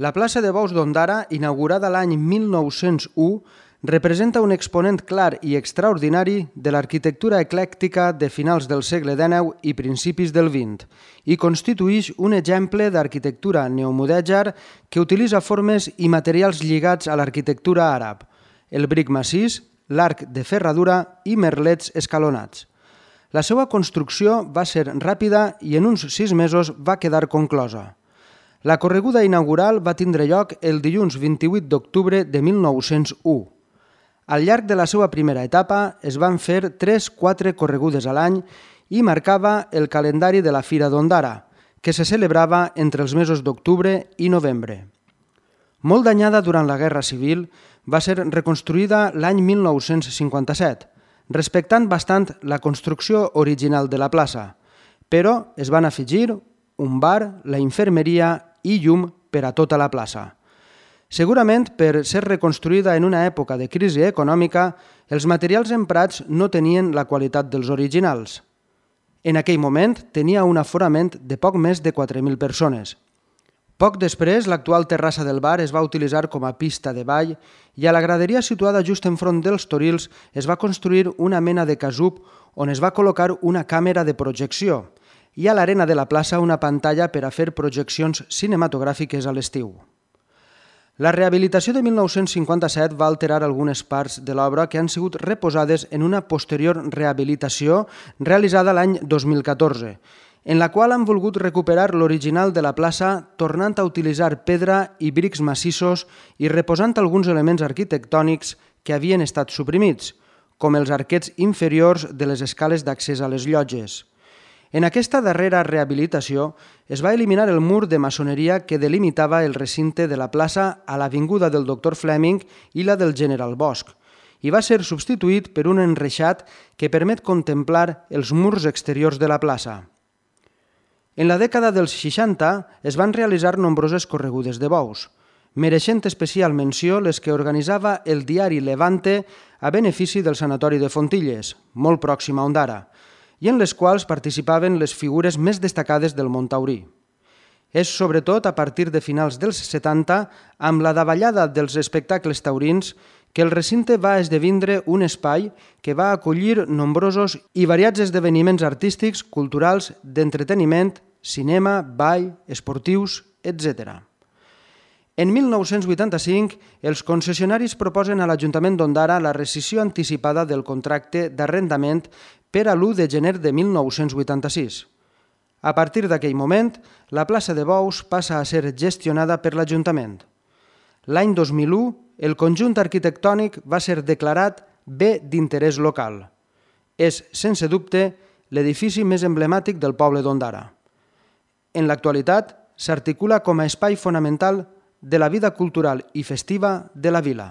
La plaça de Bous d'Ondara, inaugurada l'any 1901, representa un exponent clar i extraordinari de l'arquitectura eclèctica de finals del segle XIX i principis del XX i constitueix un exemple d'arquitectura neomudèjar que utilitza formes i materials lligats a l'arquitectura àrab, el bric massís, l'arc de ferradura i merlets escalonats. La seva construcció va ser ràpida i en uns 6 mesos va quedar conclosa. La correguda inaugural va tindre lloc el dilluns 28 d'octubre de 1901. Al llarg de la seva primera etapa es van fer 3-4 corregudes a l'any i marcava el calendari de la Fira d'Ondara, que se celebrava entre els mesos d'octubre i novembre. Molt danyada durant la Guerra Civil, va ser reconstruïda l'any 1957, respectant bastant la construcció original de la plaça, però es van afegir un bar, la infermeria i llum per a tota la plaça. Segurament, per ser reconstruïda en una època de crisi econòmica, els materials emprats no tenien la qualitat dels originals. En aquell moment tenia un aforament de poc més de 4.000 persones. Poc després, l'actual terrassa del bar es va utilitzar com a pista de ball i a la graderia situada just enfront dels Torils es va construir una mena de casub on es va col·locar una càmera de projecció i a l'arena de la plaça una pantalla per a fer projeccions cinematogràfiques a l'estiu. La rehabilitació de 1957 va alterar algunes parts de l'obra que han sigut reposades en una posterior rehabilitació realitzada l'any 2014, en la qual han volgut recuperar l'original de la plaça tornant a utilitzar pedra i brics massissos i reposant alguns elements arquitectònics que havien estat suprimits, com els arquets inferiors de les escales d'accés a les llotges. En aquesta darrera rehabilitació es va eliminar el mur de maçoneria que delimitava el recinte de la plaça a l'avinguda del Dr. Fleming i la del General Bosch i va ser substituït per un enreixat que permet contemplar els murs exteriors de la plaça. En la dècada dels 60 es van realitzar nombroses corregudes de bous, mereixent especial menció les que organitzava el diari Levante a benefici del Sanatori de Fontilles, molt pròxim a Ondara, i en les quals participaven les figures més destacades del món taurí. És sobretot a partir de finals dels 70, amb la davallada dels espectacles taurins, que el recinte va esdevindre un espai que va acollir nombrosos i variats esdeveniments artístics, culturals, d'entreteniment, cinema, ball, esportius, etc. En 1985, els concessionaris proposen a l'Ajuntament d'Ondara la rescissió anticipada del contracte d'arrendament per a l'1 de gener de 1986. A partir d'aquell moment, la plaça de Bous passa a ser gestionada per l'Ajuntament. L'any 2001, el conjunt arquitectònic va ser declarat bé d'interès local. És, sense dubte, l'edifici més emblemàtic del poble d'Ondara. En l'actualitat, s'articula com a espai fonamental de la vida cultural i festiva de la vila.